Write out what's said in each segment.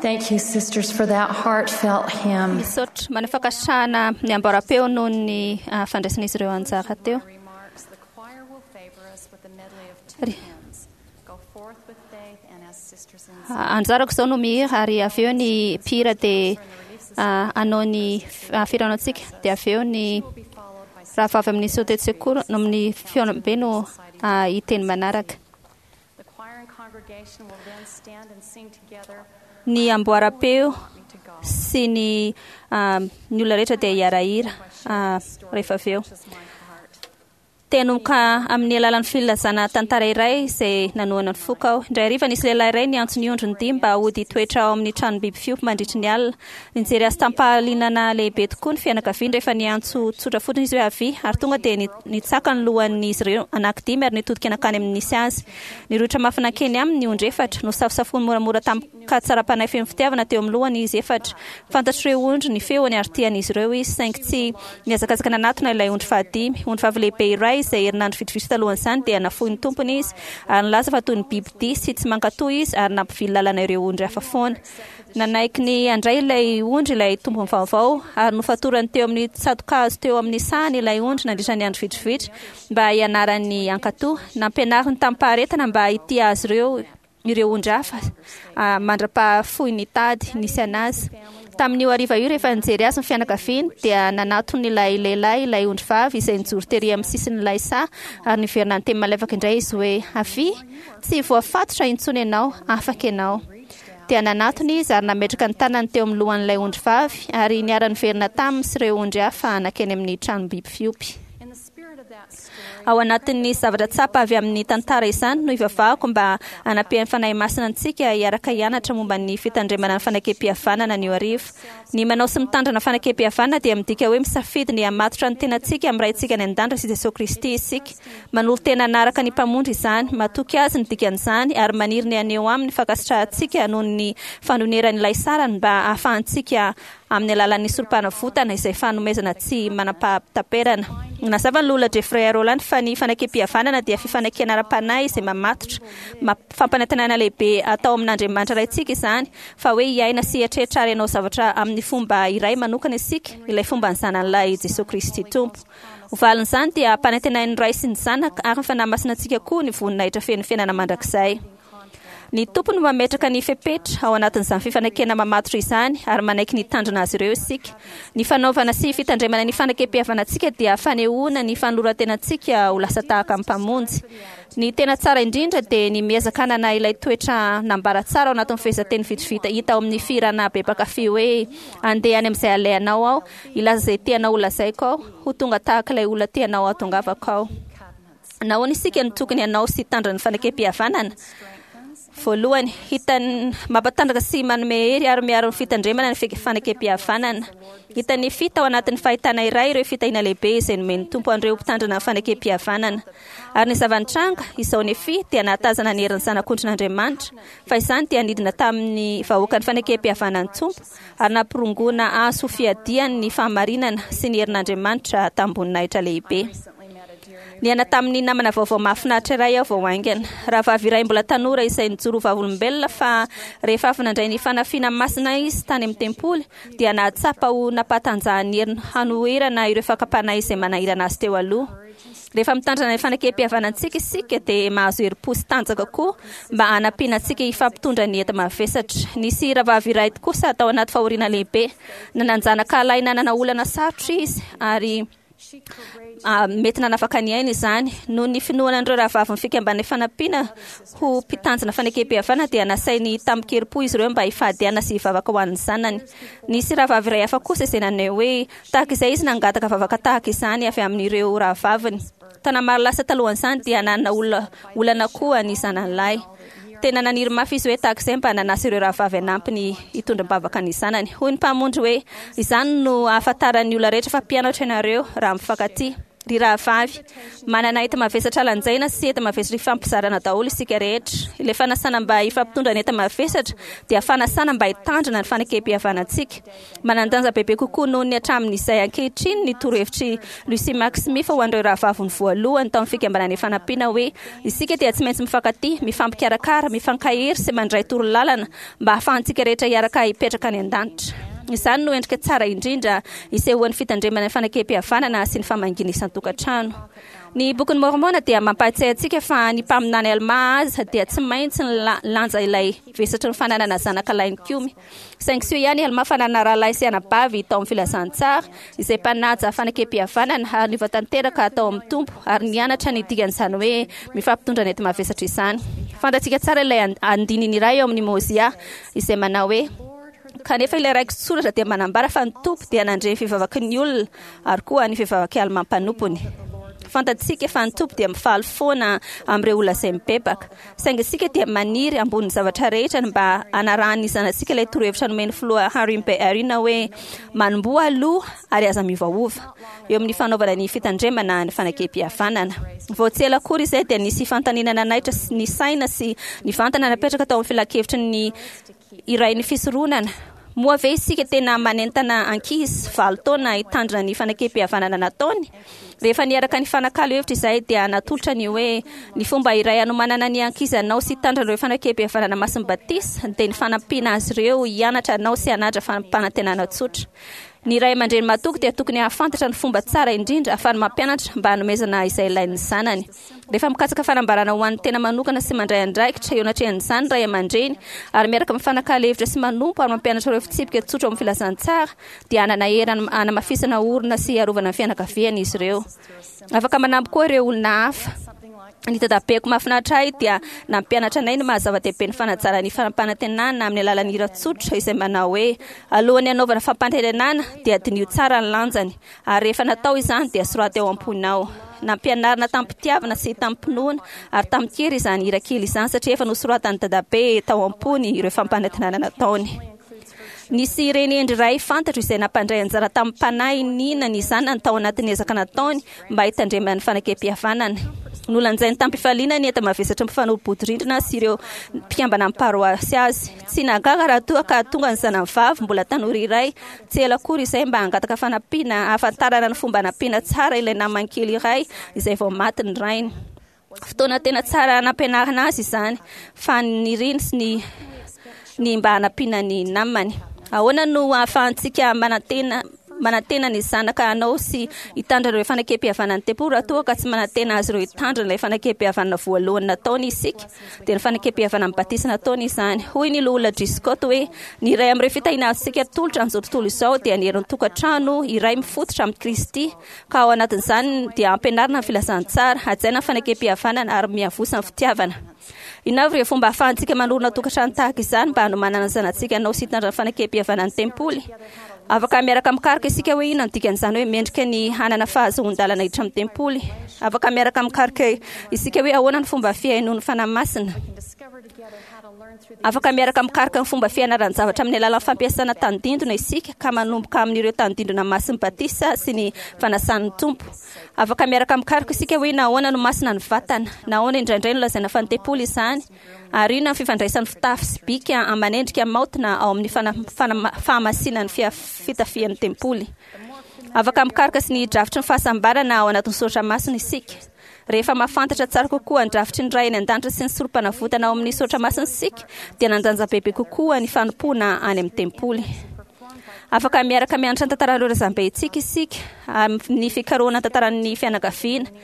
Thank you, sisters, for that heartfelt hymn. Misaotra maneho fankasitrahana ny amboaram-peo noho ny ah, fandraisan'izy ireo anjara teo. Remarks, the choir will favor us with a medley of two Ry- hymns. Go forth with faith and as sisters in Ah, Anjarako izao no mihira ary avy eo ny mpihira dia ah, hanao ny ah, fihaonana antsika dia avy eo ny will be followed by rahavavy amin'ny sotetsekoro no amin'ny fihaonambe no ah, hiteny manaraka. The choir and congregation will then stand and sing together Ny amboaram-peo Me to God. sy ny ah, ny olona rehetra dia hiara-hira ah, rehefa avy eo. Touches my heart. Tenomboka amin'ny alalan'ny filazana tantara iray izay nanohana ny foko aho. Indray hariva nisy lehilahy iray niantso ny ondriny dimy mba hody hitoetra ao amin'ny tranom-biby fiompy mandritry ny alina. Nijery azy tamim-pahalinana lehibe tokoa ny fianakaviany rehefa niantso tsotra fotsiny izy hoe avia ary tonga dia ni- nitsaka ny lohan'izy ireo anankidimy ary nitodika nankany amin'ny nisy azy. Nirohotra mafy nankeny aminy ny ondry efatra. Nosafosafoiny moramora tamin-katsaram-panahy feno fitiavana teo amin'ny lohany izy efatra. Fantatr'ireo ondry ny feony ary tian'izy ireo izy, saingy tsy nihazakazaka nanatona ilay ondry fahadimy. Ondry vavy lehibe iray izay herinandro vitsivitsy talohan'izany dia nafoy ny tompony izy ary nilaza fa toy ny bibidia sy tsy mankatò izy ary nampivily lalana ireo ondry hafa foana. Nanaiky ny handray ilay ondry ilay tompony vaovao ary nofatorany teo amin'ny tsato-kazo teo amin'ny sahany ilay ondry nandritra ny andro vitsivitsy mba hianarany hankatò. Nampianariny tamim-paharetana mba hitia azy ireo ireo ondry hafa ah, mandra-pahafoy ny tady nisy anazy. Tamin'io hariva io rehefa nijery azy ny fianakaviany dia nanatony ilay lehilahy ilay ondry vavy izay nijoro tery amin'ny sisin'ilay saha ary niverina niteny malefaka indray izy hoe avia tsy voafatotra intsony ianao afaka ianao. Dia nanatona izy ary nametraka ny tanany teo amin'ny lohan'ilay ondry vavy ary niara-niverina taminy sy ireo ondry hafa nankeny amin'ny tranom-biby fiompy. In the spirit of that story, Ao anatin'ny zavatra tsapa avy amin'ny tantara izany no ivavahako mba hanampian'ny Fanahy Masina antsika hiaraka hianatra momba ny fitandremana ny fanekempihavanana anio hariva. Ny manao sy mitandrina fanekempihavanana dia midika hoe misafidy ny hamatotra ny tenantsika amin'ny Raintsika any an-danitra sy Jesoa Kristy isika. Manolo-tena hanaraka ny Mpamonjy izany, matoky Azy ny dikan'izany ary maniry ny haneho Aminy ny fankasitrahantsika noho ny fanonerany ilay sarany mba hahafahantsika amin'ny alalan'ny sorom-panavotana izay fanomezana tsy manam-pahataperana. Nazava ny Loholona Jeffrey A. Rowland fa ny fanekempihavanana dia fifanekena ara-panahy izay mamatotra, mamp- fampanantenana lehibe atao amin'Andriamanitra Raintsika izany, fa hoe hiaina sy hieritreritra ary hanao zavatra amin'ny fomba iray manokana isika, ilay fomban'ny Zanany Lahy Jesoa Kristy Tompo. Ho valin'izany dia ampanantenain'ny Ray sy ny Zanaka ary ny Fanahy Masina antsika koa ny voninahitra feno fiainana mandrakizay. Ny Tompo no mametraka ny fepetra ao anatin'izany fifanekena mamatotra izany ary manaiky ny hitandrina azy ireo isika. Ny fanaovana sy fitandremana ny fanekempihavanantsika dia fanehoana ny fanoloran-tenantsika ho lasa tahaka ny Mpamonjy. Ny tena tsara indrindra dia ny miezaka hanana ilay toetra nambara tsara ao anatin'ny fehezanteny vitsivita hita ao amin'ny fihirana be mpankafy hoe Andeha any amin'izay alehanao aho, hilaza izay tianao holazaiko aho, ho tonga tahaka ilay olona tianao hahatongavako aho. Nahoana isika no tokony hanao sy hitandrina ny fanekempihavanana? Voalohany, hitan'ny mampatanjaka sy manome hery ary miaro ny fitandremana ny fanekempihavanana. Hitan'i Nefia tao anatin'ny fahitana iray ireo fitahiana lehibe izay nomen'ny Tompo an'ireo mpitandrina ny fanekempihavanana. Ary ny zava-nitranga, izao Nefia dia nahatazana ny herin'ny Zanak'ondrin'Andriamanitra, fa izany dia nidina tamin'ny vahoakan'ny fanekempihavanan'ny Tompo ary nampirongoana azy ho fiadiany ny fahamarinana sy ny herin'Andriamanitra tamim-boninahitra lehibe. Niaina tamin'ny namana vaovao mahafinaritra iray aho vao haingana. Rahavavy iray mbola tanora izay nijoro ho vavolombelona fa rehefa avy nandray ny fanafiana masina izy tany amin'ny tempoly dia nahatsapa ho nampahatanjahan'ny heriny hanoherana ireo fakam-panahy izay manahirana azy teo aloha. Rehefa mitandrina ny fanekempihavanantsika isika dia mahazo herim-po sy tanjaka koa mba hanampiana antsika hifampitondra ny enta-mavesatra. Nisy rahavavy iray kosa tao anaty fahoriana lehibe. Nanan-janaka lahy nanana olana sarotra izy ary mety nanafaka ny ainy izany. Noho ny finoana an'ireo rahavavin'ny fikambanana Ifanampiana ho mpitanjona fanekempihavanana dia nasainy tamin-kerim-po izy ireo mba hifady hanina sy hivavaka ho an'ny zanany. Nisy rahavavy iray hafa kosa izay naneho hoe tahaka izay izy nangataka vavaka tahaka izany avy amin'ireo rahavaviny. Taona maro lasa talohan'izany dia nanana olona olana koa ny zanany lahy. Tena naniry mafy izy hoe tahaka izay mba nanasa ireo rahavavy hanampy ny hitondra am-bavaka ny zanany. Hoy ny Mpamonjy hoe, Izany no ahafantaran'ny olona rehetra fa mpianatro ianareo, raha mifankatia. Ry rahavavy, manana enta-mavesatra lanjaina sy enta-mavesatra ifampizarana daholo isika rehetra. Ilay fanasana mba hifampitondra ny enta-mavesatra dia fanasana mba hitandrina ny fanekempihavanantsika. Manan-danja bebe kokoa noho ny hatramin'izay ankehitriny ny torohevitr'i Lucy Mack Smith ho an'ireo rahavaviny voalohany tao amin'ny Fikambanana Ifanampiana hoe, Isika dia tsy maintsy mifankatia, mifampikarakara, mifankahery sy mandray torolalana mba hahafahantsika rehetra hiaraka hipetraka any an-danitra. Izany no endrika tsara indrindra isehoan'ny fitandremana ny fanekempihavanana sy ny famangiana isan-tokantrano. Ny Bokin'i Môrmôna dia mampahatsiahy antsika fa ny mpaminany Almà aza dia tsy maintsy nilanja ilay vesatry ny fananana zanaka lahy nikomy. Saingy soa ihany i Almà fa nanana rahalahy sy anabavy tao amin'ny filazantsara, izay mpanaja fanekempihavanana ary niova tanteraka tao amin'ny Tompo ary nianatra ny dikan'izany hoe mifampitondra ny enti-mavesatra izany. Fantatsika tsara ilay andininy iray ao amin'ny Môzià izay manao hoe, Kanefa ilay raiki-tsoratra dia manambara fa ny Tompo dia nandre ny fivavaky ny olona ary koa ny fivavak'i Almà mpanompony. Fantatsika fa ny Tompo dia mifaly foana amin'ireo olona izay mibebaka. Saingy isika dia maniry ambonin'ny zavatra rehetra ny mba hanarahan'ny zanatsika ilay torohevitra nomen'ny filoha Harry M. Eyring hoe, Manomboha aloha ary aza miovaova eo amin'ny fanaovana ny fitandremana ny fanekempihavanana. Vao tsy ela akory izay dia nisy fanontaniana nanaitra ny saina sy nivantana napetraka tao amin'ny filankevitry ny iray ny fisoronana, Moa ve isika tena manentana ankizy valo taona hitandrina ny fanekempihavanana nataony? Rehefa niaraka nifanakalo hevitra izahay dia natolotra ny hoe ny fomba iray hanomanana ny ankizy hanao sy hitandrina ireo fanekempihavanana masin'ny batisa dia ny fanampiana azy ireo hianatra hanao sy hanaja fampanantenana tsotra. Ny ray aman-dreny mahatoky dia tokony hahafantatra ny fomba tsara indrindra ahafahany mampianatra mba hanomezana izay ilain'ny zanany. Rehefa mikatsaka fanambarana ho an'ny tena manokana sy mandray andraikitra eo anatrehan'izany ny ray aman-dreny, ary miaraka mifanakalo hevitra sy manompo ary mampianatra ireo fitsipika tsotra ao amin'ny filazantsara, dia hanana hery hanamafisana orina sy hiarovana ny fianakaviany izy ireo. Afaka manampy koa ireo olona hafa. Ny dadabeko mahafinaritra ahy dia nampianatra anay ny maha zava-dehibe ny fanajana ny fampanantenana amin'ny alalan'ny hira tsotra izay manao hoe, Alohan'ny hanaovana fampanantenana dia diniho tsara ny lanjany. Ary rehefa natao izany dia soraty ao am-ponao. Nampianarina tamim-pitiavana sy tamim-pinoana ary tamin-kery izany hira kely izany satria efa nosoratan'i Dadabe tao am-pony ireo fampanantenana nataony. Nisy reny hendry iray fantatro izay nampandray anjara tamim-panahy nina ny zanany tao anatin'ny ezaka nataony mba hitandremany ny fanekempihavanany. Nolanjainy tamim-pifaliana ny enta-mavesatry ny mpifanolo-bodirindrina sy ireo mpikambana amin'ny paroasy azy. Tsy nahagaga raha toa ka tonga ny zanany vavy mbola tanora iray tsy ela akory izay mba hangataka fanampiana hahafantarana ny fomba hanampiana tsara ilay namany kely iray izay vao maty ny rainy. Fotoana tena tsara nampianarina azy izany, fa niriny sy ny ny mba hanampiana ny namany. Ahoana no ahafahantsika manantena manantena ny zanaka hanao sy hitandrina ireo fanekempihavanan'ny tempoly raha toa ka tsy manantena azy ireo hitandrina ilay fanekempihavanana voalohany nataony isika? Dia ny fanekempihavanan'ny batisa nataony izany. Hoy ny Loholona Driscott hoe, Ny iray amin'ireo fitahiana azontsika atolotra amin'izao tontolo izao dia ny herin'ny tokantrano iray mifototra amin'i Kristy, ka ao anatin'izany dia ampianarina ny filazantsara, hajaina ny fanekempihavanana ary miavosa ny fitiavana. Inona avy ireo fomba ahafahantsika manorina tokantrano tahaka izany mba hanomanana ny zanatsika hanao sy hitandrina ny fanekempihavanan'ny tempoly? Afaka miaraka mikaroka isika hoe inona no dikan'izany hoe mendrika ny hanana fahazoan-dalana hiditra amin'ny tempoly. Afaka miaraka mikaroka isika hoe ahoana ny fomba fihainoan'ny Fanahy Masina. Afaka miaraka mikaroka ny fomba fianaran-javatra amin'ny alalan'ny fampiasana tandindona isika ka manomboka amin'ireo tandindona masin'ny batisa sy ny fanasan'ny Tompo. Afaka miaraka mikaroka isika hoe nahoana no masina ny vatana, nahoana indraindray no lazaina fa ny tempoly izany, Ary inona ny fifandraisan'ny fitafy sy bika aman'endrika maotina ao amin'ny fahamasinan'ny fitafian'ny tempoly? Afaka mikaroka sy ny drafitry ny fahasambarana ao anatin'ny soratra masina isika. Rehefa mahafantatra tsara kokoa ny drafitry ny Ray any An-danitra sy ny Sorompanavotana ao amin'ny soratra masina isika, dia nandanja bebe kokoa ny fanompoana any amin'ny tempoly. Afaka miaraka mianatra ny tantaran'ireo razambentsika isika amin'ny fikarohana ny tantaran'ny fianakaviana.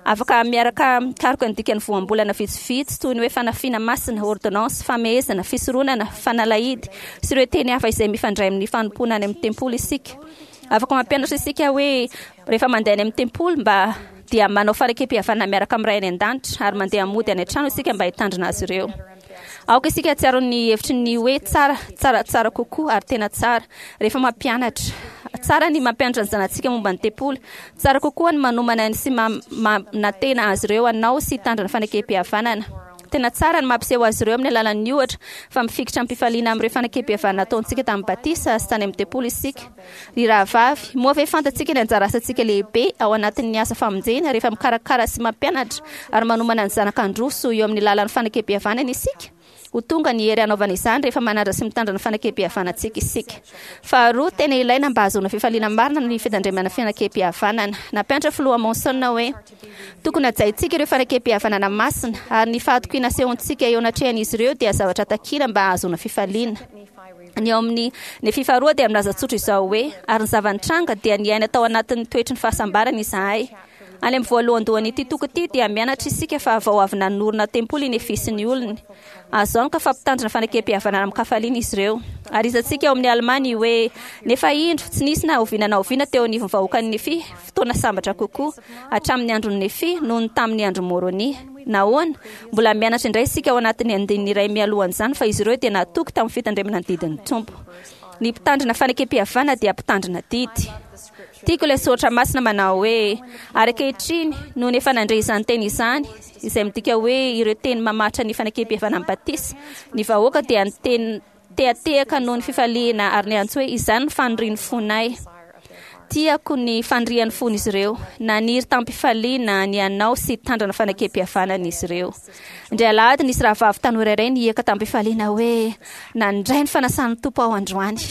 Afaka miaraka mikaroka ny dikan'ny voambolana vitsivitsy toy ny hoe fanafiana masina, ôrdônansy, famehezana, fisoronana, fanalahidy, sy ireo teny hafa izay mifandray amin'ny fanompoana any amin'ny tempoly isika. Afaka mampianatra isika hoe rehefa mandeha any amin'ny tempoly mba dia manao fanekempihavanana miaraka amin'ny Ray any An-danitra ary mandeha mody any an-trano isika mba hitandrina azy ireo. Aoka isika hahatsiaro ny hevitry ny hoe tsara, tsaratsara kokoa ary tena tsara, rehefa mampianatra. Tsara ny mampianatra ny zanatsika momba ny tempoly. Tsara kokoa ny manomana sy manantena azy ireo hanao sy hitandrina ny fanekempihavanana. Tena tsara ny mampiseho azy ireo amin'ny alalan'ny ohatra fa mifikitra amim-pifaliana amin'ireo fanekempihavanana nataontsika tamin'ny batisa sy tany amin'ny tempoly isika. Ry rahavavy, moa ve fantatsika ny anjara asantsika lehibe ao anatin'ny asa famonjena rehefa mikarakara sy mampianatra ary manomana ny zanaka handroso eo amin'ny lalan'ny fanekempihavanana isika? Ho tonga ny hery hanaovana izany rehefa manaja sy mitandrina ny fanekempihavanantsika isika. Faharoa, tena ilaina mba hahazoana fifaliana marina ny fitandremana fanekempihavanana. Nampianatra Filoha Monson hoe, Tokony hajaintsika ireo fanekempihavanana masina, ary ny fahatokiana asehontsika eo anatrehan'izy ireo dia zavatra takina mba hahazoana fifaliana. Ny ao amin'ny Nefia faharoa dia milaza tsotra izao hoe, Ary ny zava-nitranga dia niaina tao anatin'ny toetry ny fahasambarana izahay. Any amin'ny voalohandohan'ity toko ity dia mianatra isika fa vao avy nanorina tempoly i Nefia sy ny olony. Azo antoka fa mpitandrina fanekempihavanana amin-kafaliana izy ireo. Ary hitantsika ao amin'ny Almà ny hoe, Nefa indro, tsy nisy na oviana na oviana teo anivon'ny vahoakan'i Nefia fotoana sambatra kokoa, hatramin'ny andron'i Nefia, noho ny tamin'ny andron'i Môrônia. Nahoana? Mbola mianatra indray isika ao anatin'ny andininy iray mialohan'izany fa izy ireo dia natoky tamin'ny fitandremana ny didin'ny Tompo. Ny mpitandrina fanekempihavanana dia mpitandrina didy. Tiako ilay soratra masina manao hoe, Ary ankehitriny, nony efa nandre izany teny izany, izay midika hoe ireo teny mamaritra ny fanekempihavanan'ny batisa, ny vahoaka dia niteny tehatehaka noho ny fifaliana ary niantso hoe, Izany no fanirian'ny fonay. Tiako ny fanirian'ny fon'izy ireo. Naniry tamim-pifaliana ny hanao sy hitandrina fanekempihavanana izy ireo. Indray alahady nisy rahavavy tanora iray nihiaka tamim-pifaliana hoe, Nandray ny fanasan'ny Tompo aho androany.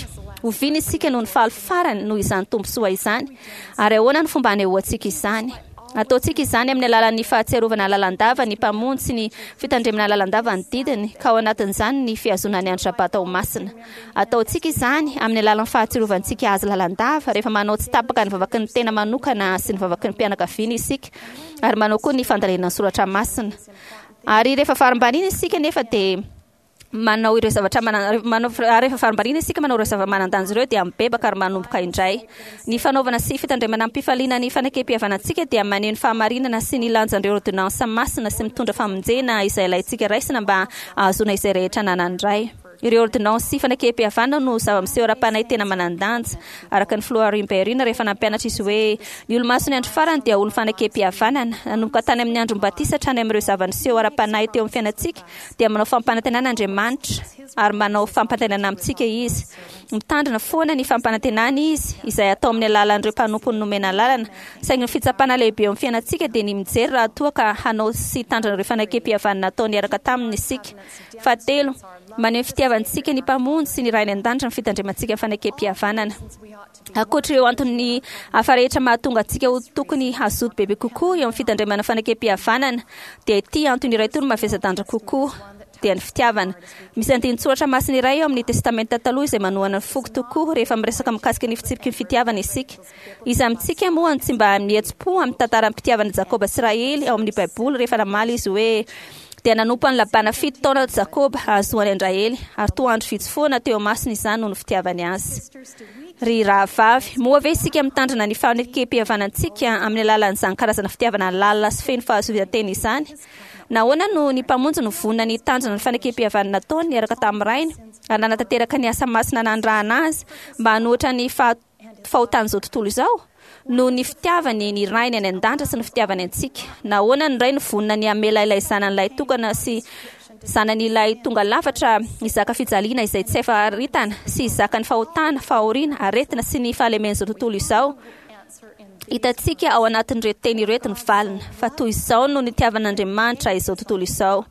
Oviana isika no nifaly farany noho izany tombontsoa izany, ary ahoana no fomba hanehoantsika izany? Ataontsika izany amin'ny alalan'ny fahatsiarovana lalandava ny Mpamonjy sy ny fitandremana lalandava ny didiny, ka ao anatin'izany ny fihazonana ny andro Sabata ho masina. Ataontsika izany amin'ny alalan'ny fahatsirovantsika Azy lalandava rehefa manao tsy tapaka ny vavaky ny tena manokana sy ny vavaky ny mpianakaviana isika, ary manao koa ny fandalinana ny soratra masina. Ary rehefa varimbariana isika nefa dia manao ireo zavatra manan manao ary rehefa varimbariana isika manao ireo zava-manan-danja ireo dia mibebaka ary manomboka indray. Ny fanaovana sy fitandremana amim-pifaliana ny fanekempihavanantsika dia maneho ny fahamarinana sy ny lanjan'ireo ôrdônansa masina sy mitondra famonjena izay ilaintsika raisina mba hahazoana izay rehetra ananan'ny Ray. Ireo ôrdônansy sy fanekempihavanana no zava-miseho ara-panahy tena manan-danja. Araka ny Filoha Harry Berry rehefa nampianatra izy hoe, Ny olomason'ny andro farany dia olon'ny fanekempihavanana. Nanomboka tany amin'ny andron'ny batisa hatrany amin'ireo zava-niseho ara-panahy teo amin'ny fiainantsika, dia manao fampanantenana Andriamanitra, ary manao fampanantenana amintsika Izy. Mitandrina foana ny fampanantenany Izy, izay atao amin'ny alalan'ireo mpanompony nomena alalana. Saingy ny fitsapana lehibe eo amin'ny fiainantsika dia ny mijery raha toa ka hanao sy hitandrina ireo fanekempihavanana natao niaraka taminy isika. Fahatelo, maneho ny fitiavantsika ny Mpamonjy sy ny Ray any An-danitra ny fitandremantsika ny fanekempihavanana. Ankoatra ireo antony hafa rehetra mahatonga antsika ho tokony hazoto bebe kokoa eo amin'ny fitandremana fanekempihavanana, dia ity antony iray ity no mavesa-danja kokoa, dia ny fitiavana. Misy andinin-tsoratra masina iray ao amin'ny Testamenta Taloha izay manohana ny foko tokoa rehefa miresaka mikasika ny fitsipiky ny fitiavana isika. Iza amintsika moa no tsy mba mihetsi-po amin'ny tantaram-pitiavan'i Jakoba sy Rahely ao amin'ny Baiboly rehefa namaly izy hoe, Dia nanompo an'i Labana fito taona Jakoba hahazoany an-dRahely, ary toa andro vitsy foana teo imasony izany noho ny fitiavany azy. Ry rahavavy, moa ve isika mitandrina ny fanekem-pihavanantsika amin'ny alalan'izany karazana fitiavana lalina sy feno fahazoan-tena izany? Nahoana no ny Mpamonjy no vonona ny hitandrina ny fanekem-pihavanana nataony niaraka tamin'ny Rainy ary nanatanteraka ny asa masina nanirahana azy mba hanohitra ny fahotan'izao tontolo izao? Noho ny fitiavany ny Rainy any an-danitra sy ny fitiavany antsika. Nahoana ny Ray no vonona ny hamela ilay Zanany lahitokana sy Zanany ilay tonga lafatra hizaka fijaliana izay tsy hay faritana sy hizaka ny fahotana, fahoriana, aretina sy ny fahalemen'izao tontolo izao? Hitantsika ao anatin'ireto teny ireto ny valiny, fa toy izao no nitiavan'Andriamanitra izao tontolo izao,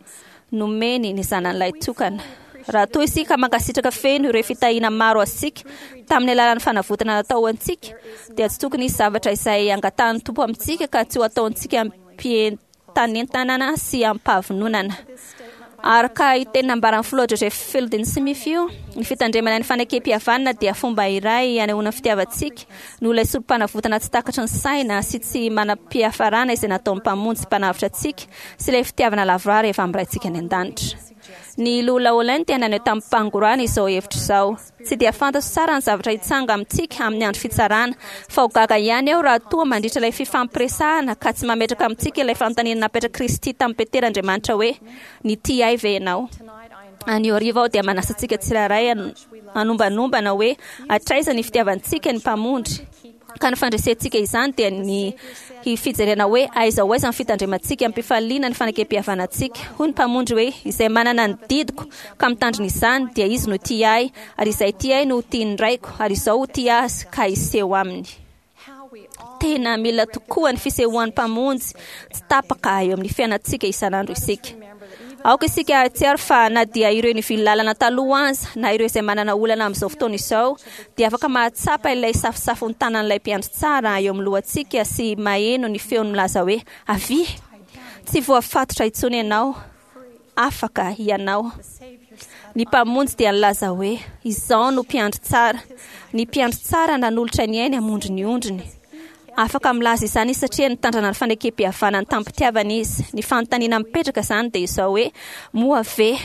nomeny ny Zanany lahitokana. Raha toa isika mankasitraka feno ireo fitahiana maro azontsika tamin'ny alalan'ny fanavotana natao ho antsika, dia tsy tokony hisy zavatra izay angatahan'ny Tompo amintsika ka tsy ho ataontsika amim-pientanentanana sy amim-pahavononana. Araka io teny nambaran'ny Filoha Joseph Fielding Smith io, ny fitandremana ny fanekempihavanana dia fomba iray hanehoana ny fitiavantsika noho ilay sorompanavotana tsy takatry ny saina sy tsy manam-piafarana izay nataon'ny Mpamonjy sy Mpanavotra antsika sy ilay fitiavana lavorary efa amin'ny Raintsika any An-danitra. Ny Loholona Holland dia naneho tamim-pangorahana izao hevitra izao, Tsy dia fantatro tsara ny zavatra hitsanga amintsika amin'ny andro fitsarana, fa ho gaga ihany aho raha toa mandritra ilay fifampiresahana ka tsy mametraka amintsika ilay fanontaniana napetrak'i Kristy tamin'i Petera Andriamanitra hoe, Nitia ahy ve ianao? Anio hariva aho dia manasa antsika tsirairay hanombantombana hoe hatraiza ny fitiavantsika ny Mpamonjy. Ka ny fandresentsika izany dia ny fijerena hoe aiza ho aiza ny fitandremantsika amim-pifaliana ny fanekempihavanantsika. Hoy ny Mpamonjy hoe, Izay manana ny didiko ka mitandrina izany, dia izy no tia Ahy, ary izay tia Ahy no ho tian'ny Raiko, ary Izaho ho tia azy ka hiseho aminy. Tena mila tokoa ny fisehoan'ny Mpamonjy tsy tapaka eo amin'ny fiainantsika isan'andro isika. Aoka isika hahatsiaro fa na dia ireo nivily lalana taloha aza, na ireo izay manana olana amin'izao fotoana izao, dia afaka mahatsapa ilay safosafon'ny tanan'ilay Mpiandry Tsara eo amin'ny lohantsika sy maheno ny feony milaza hoe, Avia! Tsy voafatotra intsony ianao. Afaka ianao. Ny Mpamonjy dia nilaza hoe, Izaho no Mpiandry Tsara. Ny Mpiandry Tsara nanolotra ny ainy hamonjy ny ondriny. Afaka milaza izany izy satria nitandrana ny fanekempihavanany tamim-pitiavana izy. Ny fanontaniana mipetraka izany dia izao hoe, moa ve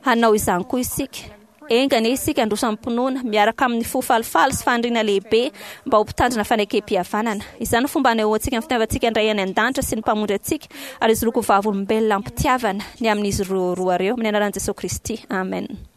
hanao izany koa isika? Enga anie isika handroso amim-pinoana, miaraka amin'ny fo falifaly sy faniriana lehibe mba ho mpitandrina fanekempihavanana. Izany no fomba hanehoantsika ny fitiavantsika ny Ray any An-danitra sy ny Mpamonjy antsika ary hijoroako ho vavolombelona am-pitiavana ny amin'izy roa ireo, amin'ny anaran'i Jesoa Kristy, amena.